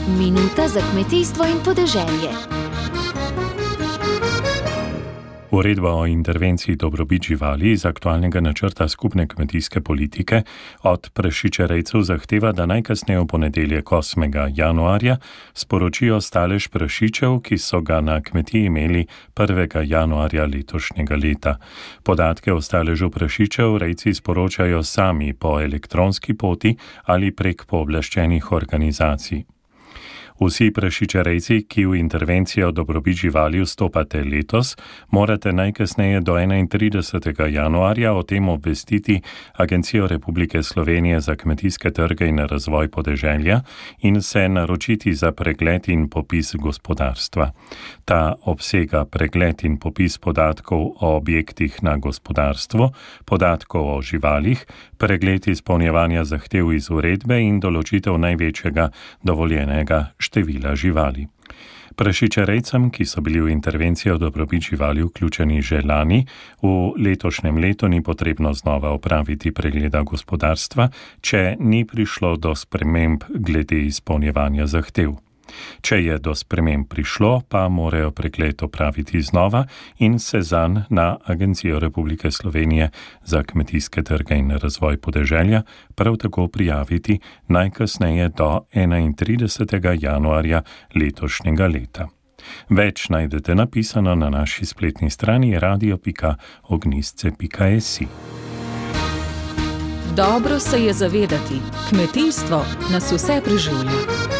Minuta za kmetijstvo in podeželje. Uredba o intervenciji dobrobit živali iz aktualnega načrta skupne kmetijske politike od prašičerejcev zahteva, da najkasneje v ponedeljek 8. januarja sporočijo stalež prašičev, ki so ga na kmetiji imeli 1. januarja letošnjega leta. Podatke o staležu prašičev rejci sporočajo sami po elektronski poti ali prek pooblaščenih organizacij. Vsi prašičerejci, ki v intervencijo dobrobit živali vstopate letos, morate najkasneje do 31. januarja o tem obvestiti Agencijo Republike Slovenije za kmetijske trge in razvoj podeželja in se naročiti za pregled in popis gospodarstva. Ta obsega pregled in popis podatkov o objektih na gospodarstvu, podatkov o živalih, pregled izpolnjevanja zahtev iz uredbe in določitev največjega dovoljenega števila živali. Prašičerejcem, ki so bili v intervencijo dobrobit živali vključeni že lani, v letošnjem letu ni potrebno znova opraviti pregleda gospodarstva, če ni prišlo do sprememb glede izpolnjevanja zahtev. Če je do sprememb prišlo, pa morajo pregled opraviti znova in se zanj na Agencijo Republike Slovenije za kmetijske trge in razvoj podeželja prav tako prijaviti najkasneje do 31. januarja letošnjega leta. Več najdete napisano na naši spletni strani radio.ognisce.si. Dobro se je zavedati, kmetijstvo nas vse preživlja.